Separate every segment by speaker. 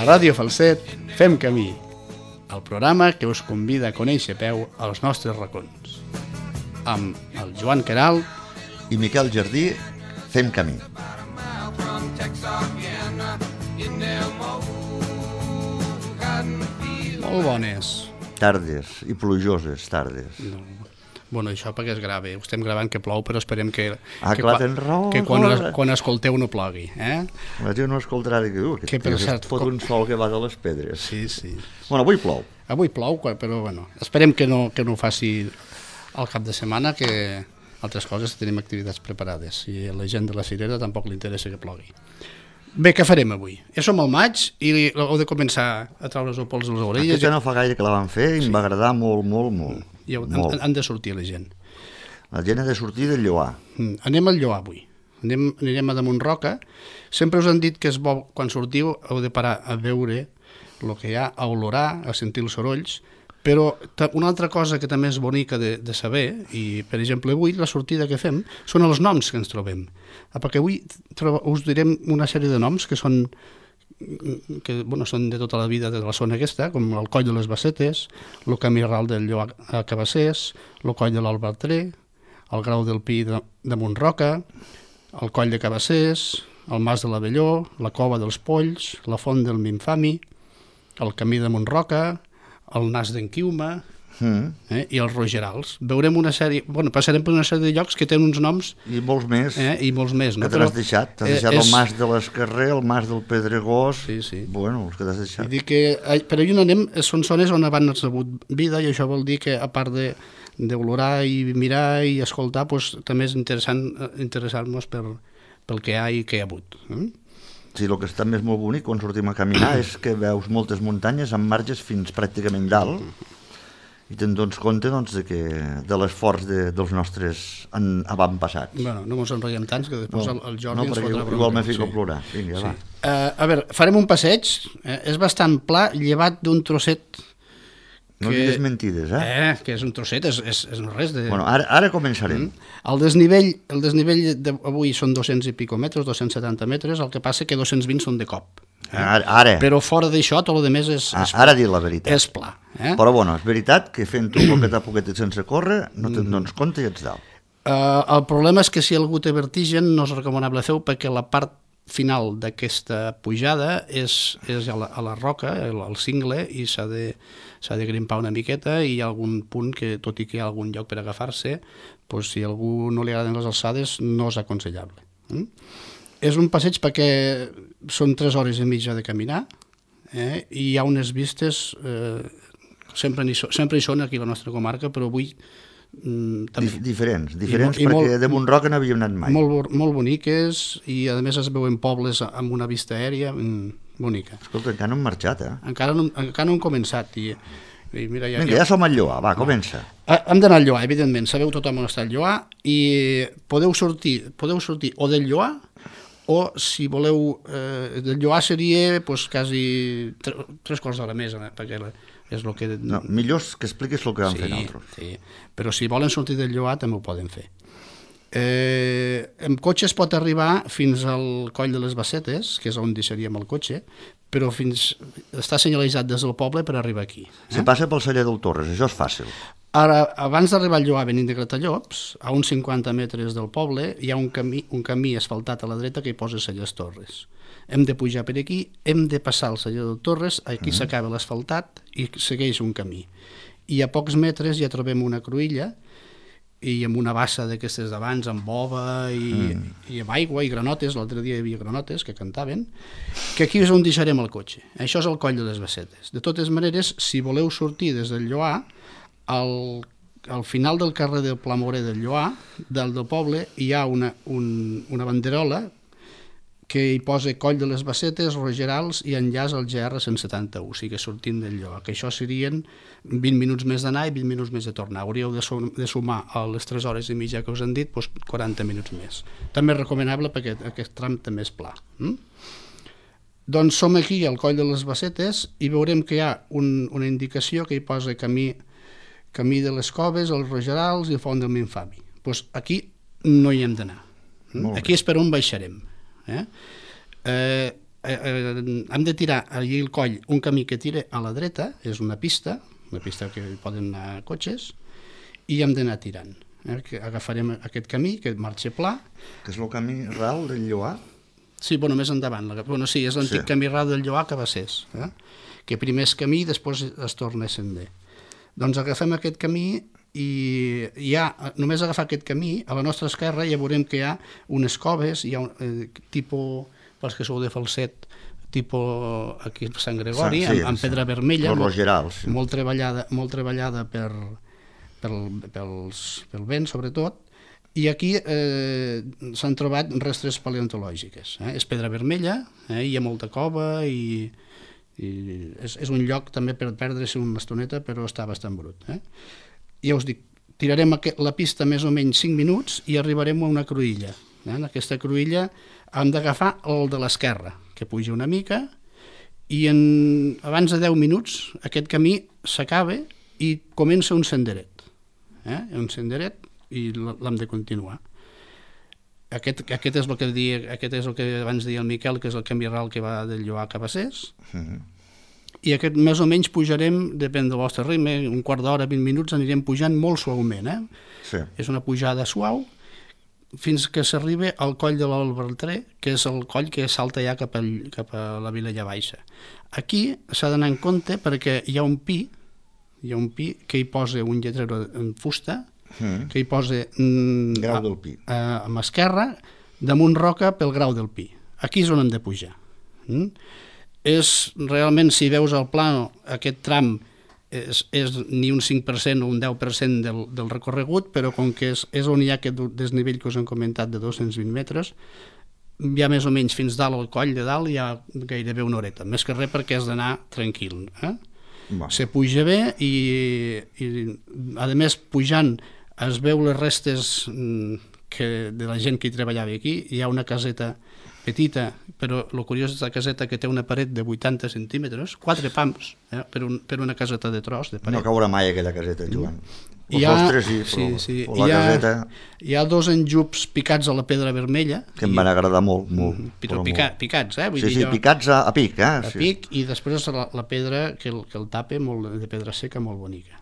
Speaker 1: Ràdio Falset fem camí, el programa que us convida a conèixer a peu als nostres racons. Amb el Joan Queralt
Speaker 2: i Miquel Jardí fem camí.
Speaker 1: Molt bones.
Speaker 2: Tardes i plujoses tardes.
Speaker 1: No. Bueno, això perquè es grava. Ho estem gravant que plou, però esperem que
Speaker 2: tens raó,
Speaker 1: que quan escolteu no plogui.
Speaker 2: La gent no escoltarà i diu que
Speaker 1: per cert,
Speaker 2: pot un sol que va de les pedres.
Speaker 1: Sí.
Speaker 2: Bueno, avui plou.
Speaker 1: Avui plou, però bueno, esperem que no ho faci al cap de setmana, que altres coses tenim activitats preparades. I a la gent de la Cirera tampoc li interessa que plogui. Bé, què farem avui? Ja som al maig i heu de començar a treure's el pols de les orelles.
Speaker 2: Aquesta no fa gaire que la van fer i em va agradar molt.
Speaker 1: I han de sortir la gent.
Speaker 2: La gent ha de sortir del Lloar.
Speaker 1: Anem al Lloar avui. Anirem a damunt Roca. Sempre us han dit que és bo, quan sortiu, heu de parar a veure el que hi ha, a olorar, a sentir els sorolls, però una altra cosa que també és bonica de saber, i per exemple avui la sortida que fem són els noms que ens trobem, perquè avui us direm una sèrie de noms que són de tota la vida de la zona aquesta, com el Coll de les Bassetes, el Camí Ral del Lloar a Cabassers, el Coll de l'Albertrer, el Grau del Pi de Montroca, el Coll de Cabassers, el Mas de l'Avelló, la Cova dels Polls, la Font del Minfami, el Camí de Montroca, el Nas d'en Quiuma i els Rogerals. Veurem una sèrie, passarem per una sèrie de llocs que tenen uns noms
Speaker 2: i molts més,
Speaker 1: no?
Speaker 2: Que te l'has deixat. T'has deixat el Mas de l'Escarrer, el Mas del Pedregós.
Speaker 1: Sí.
Speaker 2: Bueno, els que t'has deixat.
Speaker 1: Vull dir que per allà on anem són zones on abans ha hagut vida, i això vol dir que a part d'olorar i mirar i escoltar, també és interessar-nos pel que hi ha i que hi ha hagut.
Speaker 2: Sí, el que està més molt bonic quan sortim a caminar és que veus moltes muntanyes amb marges fins pràcticament dalt i te'n dones compte de l'esforç dels nostres avantpassats.
Speaker 1: Bueno, no ens enrotllem tants que després el Jordi ens fotrà bronca.
Speaker 2: Igual me fico a plorar. Vinga, va.
Speaker 1: A veure, farem un passeig. És bastant pla, llevat d'un trosset.
Speaker 2: No digues mentides,
Speaker 1: que és un trosset, és no res de...
Speaker 2: Bueno, ara començarem.
Speaker 1: El desnivell d'avui són 200 i pico metres, 270 metres, el que passa que 220 són de cop.
Speaker 2: Ara.
Speaker 1: Però fora d'això, tot el més és
Speaker 2: ara dir la veritat.
Speaker 1: És pla.
Speaker 2: Però bueno, és veritat que fent un poquet a poquet sense córrer no te'n dones compte i ets dalt.
Speaker 1: El problema és que si algú té vertigen no és recomanable fer-ho, perquè la part final d'aquesta pujada és a la roca, al cingle, i s'ha de grimpar una miqueta, i hi ha algun punt que, tot i que hi ha algun lloc per agafar-se, si a algú no li agraden les alçades, no és aconsellable. És un passeig perquè són 3 hores i mitja de caminar, i hi ha unes vistes, sempre hi són aquí a la nostra comarca, però avui
Speaker 2: diferents perquè de Montroca no havíem anat mai.
Speaker 1: Molt boniques, i a més es veuen pobles amb una vista aèria bonica.
Speaker 2: Escolta, encara no hem marxat,
Speaker 1: Encara no hem començat. Mira,
Speaker 2: vinga, ja som al Lloar, va, comença.
Speaker 1: Hem d'anar al Lloar, evidentment, sabeu tothom on està el Lloar, i podeu sortir o del Lloar, o si voleu, del Lloar seria quasi 3 quarts d'hora més, perquè és el que...
Speaker 2: No, millor que expliquis el que vam fer nosaltres.
Speaker 1: Sí, però si volen sortir del Lloar també ho poden fer. Amb cotxe es pot arribar fins al Coll de les Bassetes, que és on deixaríem el cotxe, però està senyalitzat des del poble per arribar aquí.
Speaker 2: Si passa pel celler del Torres, això és fàcil.
Speaker 1: Ara, abans d'arribar al Lloar venint de Gratallops, a uns 50 metres del poble, hi ha un camí asfaltat a la dreta que hi posa Cellers Torres. Hem de pujar per aquí, hem de passar el celler del Torres, aquí s'acaba l'asfaltat i segueix un camí. I a pocs metres ja trobem una cruïlla, i amb una bassa d'aquestes d'abans, amb bova i amb aigua i granotes. L'altre dia hi havia granotes que cantaven, que aquí és on deixarem el cotxe. Això és el Coll de les Bassetes. De totes maneres, si voleu sortir des del Lloar, al final del carrer del Plamorer del Lloar, del poble, hi ha una banderola que hi posa Coll de les Bassetes, Rogerals i enllaç al GR 171, o sigui, sortint del Lloar, que això serien 20 minuts més d'anar i 20 minuts més de tornar. Hauríeu de sumar a les 3 hores i mitja que us han dit 40 minuts més. També és recomanable perquè aquest tram també és pla. Doncs som aquí al Coll de les Bassetes i veurem que hi ha una indicació que hi posa camí de les Coves, els Rogerals i el Font del Minfami. Doncs aquí no hi hem d'anar. Aquí és per on baixarem. hem de tirar allí el coll un camí que tira a la dreta, és una pista que poden anar cotxes, i hem d'anar tirant. Que agafarem aquest camí, que marxa pla.
Speaker 2: Que és el camí ral del Lloar?
Speaker 1: Sí, bueno, més endavant. Sí, és l'antic camí ral del Lloar que va ser, que primer és camí i després es torna a sender. Doncs agafem aquest camí i només agafar aquest camí, a la nostra esquerra ja veurem que hi ha unes coves, hi ha tipus, pels que sou de Falset, tipus aquí a Sant Gregori, amb pedra vermella, molt treballada pel vent, sobretot, i aquí s'han trobat restes paleontològiques. És pedra vermella, hi ha molta cova i és un lloc també per perdre-se una estoneta, però està bastant brut. Ja us dic, tirarem la pista més o menys 5 minuts i arribarem a una cruïlla. En aquesta cruïlla hem d'agafar el de l'esquerra, que puja una mica, i abans de 10 minuts aquest camí s'acaba i comença un senderet. Un senderet i l'hem de continuar. Aquest és el que abans deia el Miquel, que és el camí ral que va del Lloar cap a Ses. I aquest més o menys pujarem, depèn del vostre ritme, un quart d'hora, 20 minuts, anirem pujant molt suaument. És una pujada suau fins que s'arriba al coll de l'Albertré, que és el coll que salta ja cap a la Vilella Baixa. Aquí s'ha d'anar en compte perquè hi ha un pi que hi posa un lletrero en fusta, que hi posa
Speaker 2: Grau del Pi
Speaker 1: a mà esquerra, damunt roca pel Grau del Pi. Aquí és on hem de pujar. És realment, si veus el plano, aquest tram és ni un 5% o un 10% del recorregut, però com que és on hi ha aquest desnivell que us hem comentat de 220 metres, ja més o menys fins dalt al coll de dalt hi ha gairebé una horeta, més que res perquè has d'anar tranquil. Se puja bé i a més pujant es veu les restes de la gent que hi treballava aquí. Hi ha una caseta petita, però el curiós és la caseta que té una paret de 80 centímetres, 4 pams, per una caseta de tros de paret.
Speaker 2: No caurà mai aquella caseta, Joan.
Speaker 1: Hi ha 2 enjups picats a la pedra vermella.
Speaker 2: Que em van agradar molt.
Speaker 1: Però picats,
Speaker 2: picats a pic.
Speaker 1: A pic, i després la pedra que el tapa, de pedra seca, molt bonica.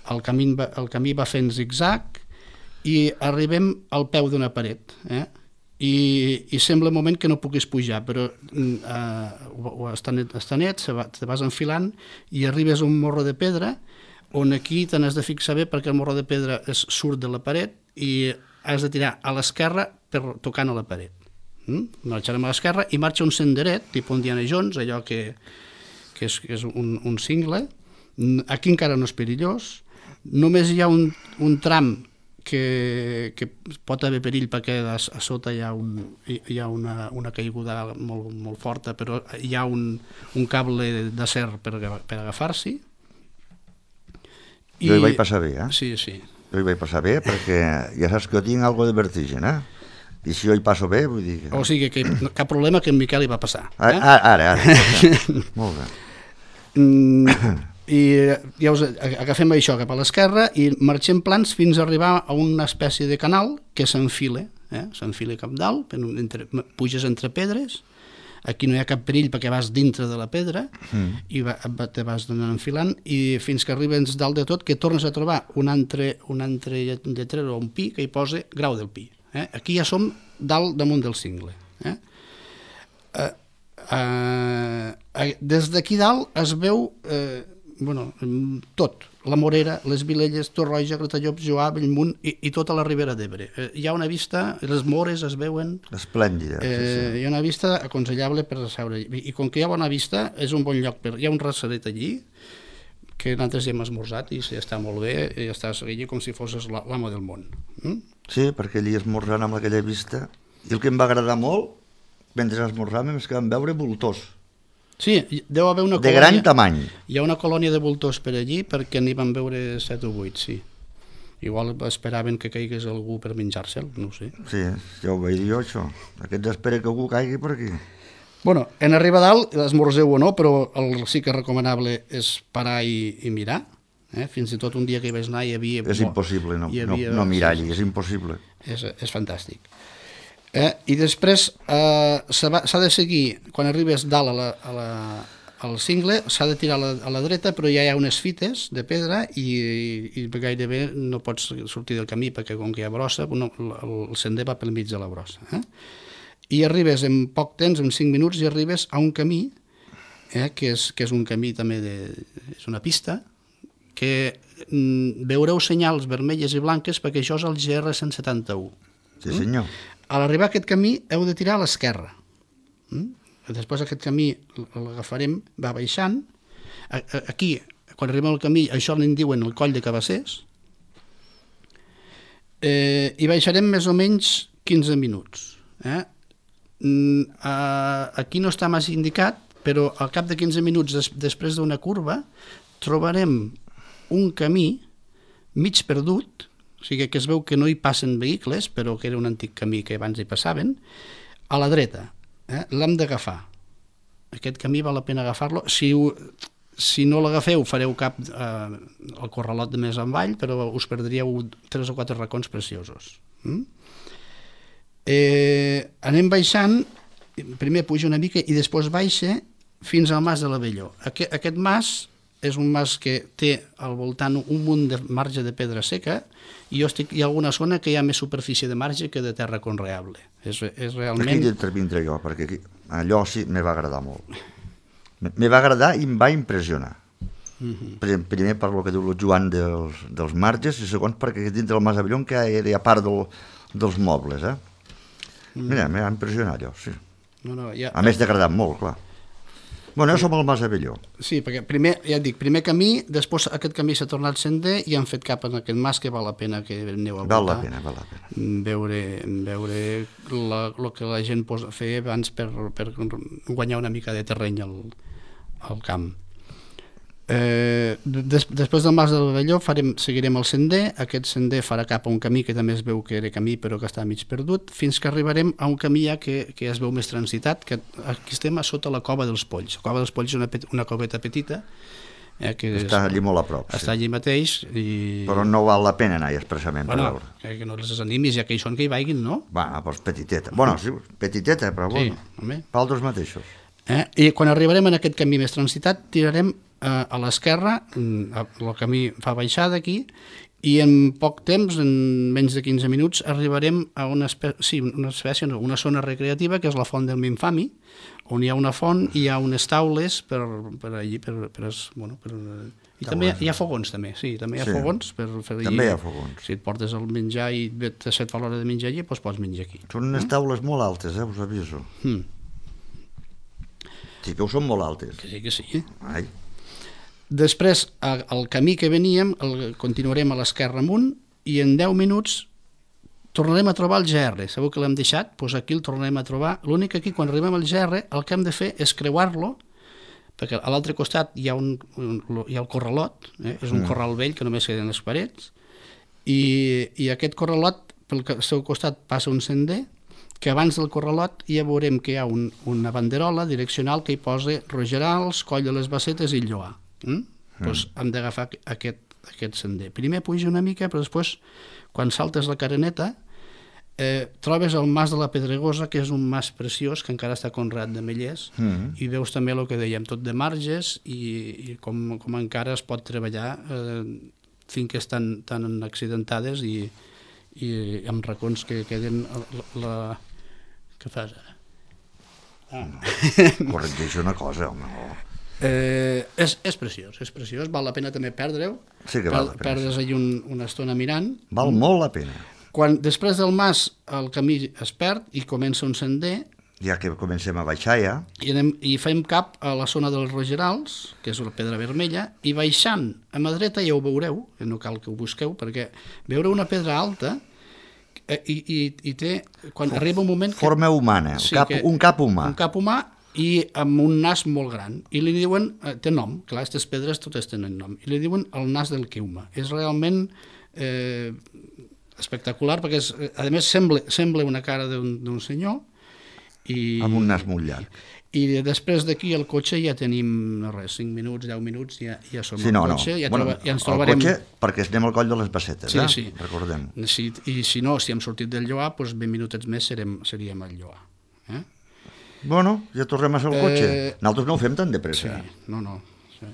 Speaker 1: El camí va fent zigzag i arribem al peu d'una paret, i sembla un moment que no puguis pujar, però està net, te vas enfilant i arribes a un morro de pedra on aquí te n'has de fixar bé perquè el morro de pedra surt de la paret i has de tirar a l'esquerra tocant a la paret. Marxarem a l'esquerra i marxa un senderet, tipus Indiana Jones, allò que és un cingle. Aquí encara no és perillós, només hi ha un tram que pot haver perill perquè a sota hi ha una caiguda molt forta, però hi ha un cable d'acer per agafar-s'hi.
Speaker 2: Jo hi vaig passar bé,
Speaker 1: Sí.
Speaker 2: Jo hi vaig passar bé perquè ja saps que jo tinc algo de vertigen, i si jo hi passo bé, vull dir que...
Speaker 1: O sigui que cap problema que en Miquel hi va passar.
Speaker 2: Ara. Molt bé.
Speaker 1: I ja agafem això cap a l'esquerra i marxem plans fins a arribar a una espècie de canal que s'enfila cap dalt, puges entre pedres, aquí no hi ha cap perill perquè vas dintre de la pedra i te vas enfilant i fins que arribes dalt de tot que tornes a trobar un altre lletrero o un pi que hi posa Grau del Pi. Aquí ja som dalt damunt del cingle. Des d'aquí dalt es veu tot, la Morera, les Vilelles, Torroja, Gratallops, Lloar, Bellmunt i tota la Ribera d'Ebre. Hi ha una vista, les Mores es veuen...
Speaker 2: Esplèndida.
Speaker 1: Hi ha una vista aconsellable per seure. I com que hi ha bona vista, és un bon lloc. Hi ha un restaurant allí que nosaltres hi hem esmorzat i està molt bé, i estàs allí com si fossis l'amo del món.
Speaker 2: Sí, perquè allí esmorzant amb aquella vista. I el que em va agradar molt, mentre esmorzàvem, és que vam veure voltors.
Speaker 1: Sí, deu haver una
Speaker 2: colònia... De gran tamany.
Speaker 1: Hi ha una colònia de voltors per allí perquè n'hi van veure 7 o 8, sí. Igual esperaven que caigués algú per menjar-se'l, no ho sé.
Speaker 2: Sí, ja ho vaig dir jo, això. Aquests espera que algú caigui per aquí.
Speaker 1: Bueno, en arribar a dalt, esmorzeu o no, però sí que és recomanable és parar i mirar. Fins i tot un dia que hi vaig anar hi havia...
Speaker 2: És impossible no mirar allí, és impossible.
Speaker 1: És fantàstic. I després s'ha de seguir, quan arribes dalt al cingle, s'ha de tirar a la dreta, però ja hi ha unes fites de pedra i gairebé no pots sortir del camí perquè com que hi ha brossa, el sender va pel mig de la brossa. I arribes en poc temps, en 5 minuts, i arribes a un camí, que és un camí també, és una pista, que veureu senyals vermelles i blanques perquè això és el GR 171.
Speaker 2: Sí, senyor.
Speaker 1: A l'arribar a aquest camí heu de tirar a l'esquerra. Després aquest camí l'agafarem, va baixant. Aquí, quan arribem al camí, això n'en diuen el coll de Cabassers. I baixarem més o menys 15 minuts. Aquí no està massa indicat, però al cap de 15 minuts després d'una curva trobarem un camí mig perdut, o sigui que es veu que no hi passen vehicles, però que era un antic camí que abans hi passaven, a la dreta. L'hem d'agafar. Aquest camí val la pena agafar-lo. Si no l'agafeu fareu cap al corralot de més avall, però us perdríeu 3 o 4 racons preciosos. Anem baixant, primer puja una mica i després baixa fins al Mas de l'Abelló. Aquest mas és un mas que té al voltant un munt de marge de pedra seca i hi ha alguna zona que hi ha més superfície de marge que de terra conreable. És realment...
Speaker 2: Aquí intervindré jo, perquè aquí, allò sí me va agradar molt. Me va agradar i em va impressionar. Primer per lo que diu el Joan dels marges i segons perquè dintre del Mas Abelló que hi ha part dels mobles. Mira, m'ha impressionat allò, sí. A més t'ha agradat molt, clar. Bueno, jo som al Mas Abelló.
Speaker 1: Sí, perquè primer, ja et dic, primer camí, després aquest camí s'ha tornat sender i han fet cap en aquest mas que val la pena que aneu a voltar.
Speaker 2: Val la pena.
Speaker 1: Veure el que la gent feia abans per guanyar una mica de terreny al camp. Després del Mas de l'Abelló seguirem el sender. Aquest sender farà cap a un camí que també es veu que era camí però que està mig perdut, fins que arribarem a un camí ja que es veu més transitat, que aquí estem a sota la Cova dels Polls. La Cova dels Polls és una coveta petita que
Speaker 2: està allí molt a prop.
Speaker 1: Està allí mateix
Speaker 2: però no val la pena anar-hi expressament per veure.
Speaker 1: Que no les desanimis, ja que hi són que hi vagin, no?
Speaker 2: Doncs petiteta. Bueno, sí, petiteta, però bueno, pals mateixos.
Speaker 1: I quan arribarem en aquest camí més transitat tirarem a l'esquerra, el camí fa baixada aquí, i en poc temps, en menys de 15 minuts, arribarem a una zona recreativa que és la Font del Minfami, on hi ha una font i hi ha unes taules per allí, i també hi ha fogons, també, sí, també hi ha fogons per allí.
Speaker 2: També hi ha fogons.
Speaker 1: Si et portes el menjar i et set fa l'hora de menjar allí, doncs pots menjar aquí.
Speaker 2: Són unes taules molt altes, us aviso. Sí que ho són molt altes.
Speaker 1: Que sí.
Speaker 2: Ai.
Speaker 1: Després, el camí que veníem, continuarem a l'esquerra amunt i en 10 minuts tornarem a trobar el GR. Sabeu que l'hem deixat? Doncs aquí el tornarem a trobar. L'únic que aquí, quan arribem al GR, el que hem de fer és creuar-lo, perquè a l'altre costat hi ha el corralot, és un corral vell que només queden les parets, i aquest corralot, pel seu costat passa un sender, que abans del corralot ja veurem que hi ha una banderola direccional que hi posa Rogerals, Coll de les Bassetes i Lloar. Doncs hem d'agafar aquest sender. Primer puja una mica, però després, quan saltes la careneta, trobes el Mas de la Pedregosa, que és un mas preciós, que encara està conreat de mellers, i veus també el que dèiem, tot de marges, i com encara es pot treballar finques tan accidentades i amb racons que queden... Què fas ara?
Speaker 2: Corregeixo una cosa, home.
Speaker 1: És preciós, val la pena també perdre-ho.
Speaker 2: Sí que val la pena.
Speaker 1: Perdes allà una estona mirant.
Speaker 2: Val molt la pena.
Speaker 1: Després del mas el camí es perd i comença un sender.
Speaker 2: Ja que comencem a baixar ja.
Speaker 1: I fem cap a la zona dels Rogerals, que és la pedra vermella, i baixant a mà dreta ja ho veureu, no cal que ho busqueu, perquè veureu una pedra alta i té, quan arriba un moment...
Speaker 2: Forma humana, un cap humà.
Speaker 1: Un cap humà i amb un nas molt gran, i li diuen, té nom, clar, aquestes pedres totes tenen nom, i li diuen el nas del Queuma. És realment espectacular, perquè a més sembla una cara d'un senyor,
Speaker 2: amb un nas molt llarg.
Speaker 1: I després d'aquí al cotxe ja tenim, no res, 5 minuts, 10 minuts, ja som
Speaker 2: Sí,
Speaker 1: al
Speaker 2: no.
Speaker 1: cotxe, ja ens
Speaker 2: El
Speaker 1: trobarem...
Speaker 2: cotxe, perquè anem al coll de les Bassetes,
Speaker 1: Sí.
Speaker 2: recordem.
Speaker 1: I si no, si hem sortit del Lloar, doncs 20 minutets més seríem al Lloar.
Speaker 2: Bueno, ja tornem a ser al cotxe. Nosaltres no ho fem tan de pressa.
Speaker 1: Sí, no. Sí.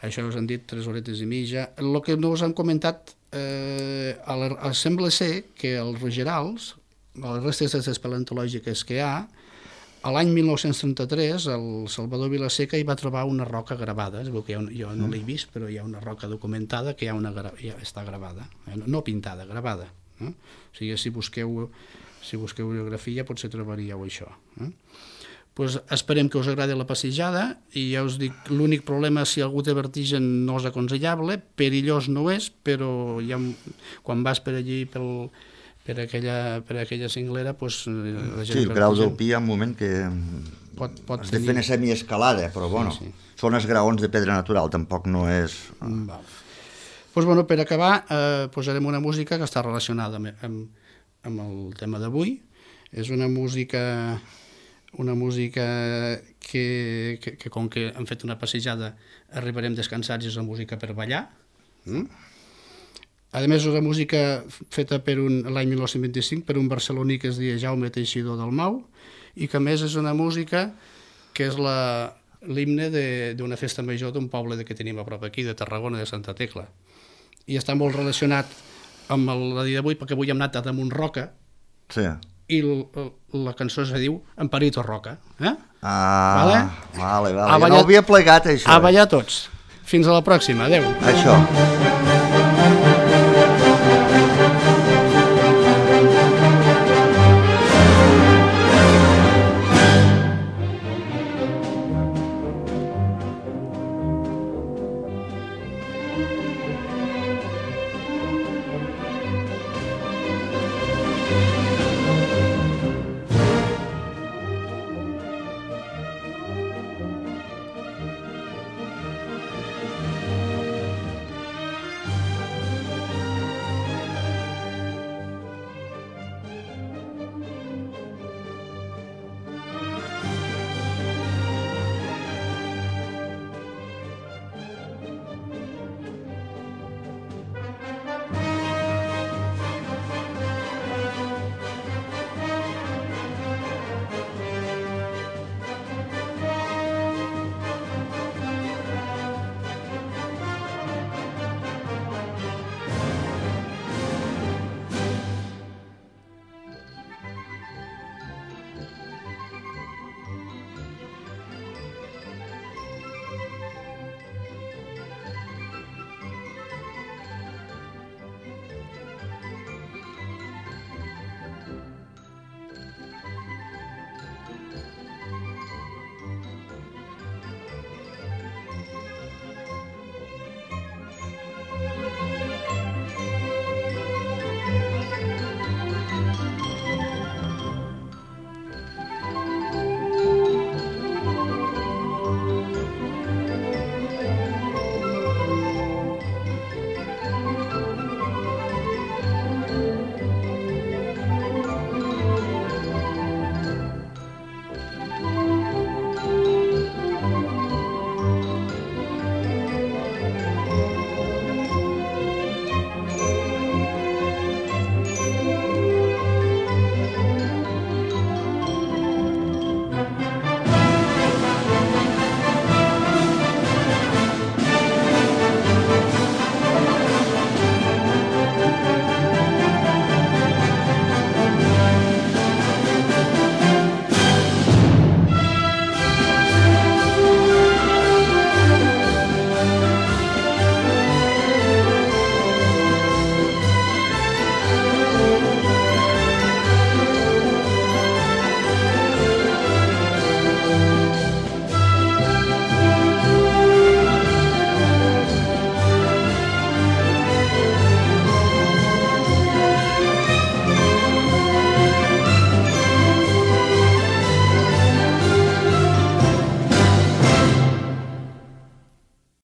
Speaker 1: Això us han dit 3 horetes i mitja. El que no us han comentat, sembla ser que els rogerals, les restes paleontològiques que hi ha, a l'any 1933 el Salvador Vilaseca hi va trobar una roca gravada, es veu que jo no l'he vist, però hi ha una roca documentada que ja està gravada, no pintada, gravada. O sigui, si busqueu biografia potser trobaríeu això. Pues esperem que us agradi la passejada i ja us dic, l'únic problema si algú té vertigen no és aconsellable, perillós no és, però quan vas per allí per aquella cinglera, pues, la gent...
Speaker 2: Sí, el grau del Pi hi ha un moment que
Speaker 1: pot
Speaker 2: has de fer una semiescalada, però bueno, són els graons de pedra natural, tampoc no és...
Speaker 1: Pues, bueno, per acabar, posarem una música que està relacionada amb el tema d'avui. És una música que com que hem fet una passejada arribarem descansats, és una música per ballar. A més, és una música feta l'any 1925 per un barceloní que es deia Jaume Teixidor Dalmau i que a més és una música que és l'himne d'una festa major d'un poble que tenim a prop aquí, de Tarragona, de Santa Tecla. I està molt relacionat amb la dia d'avui, perquè avui hem anat a Damunt Roca,
Speaker 2: sí.
Speaker 1: I la cançó es diu Amparito Roca.
Speaker 2: Vale.
Speaker 1: Ja
Speaker 2: no ho havia plegat, això.
Speaker 1: A ballar tots. Fins a la pròxima. Adéu.
Speaker 2: Això.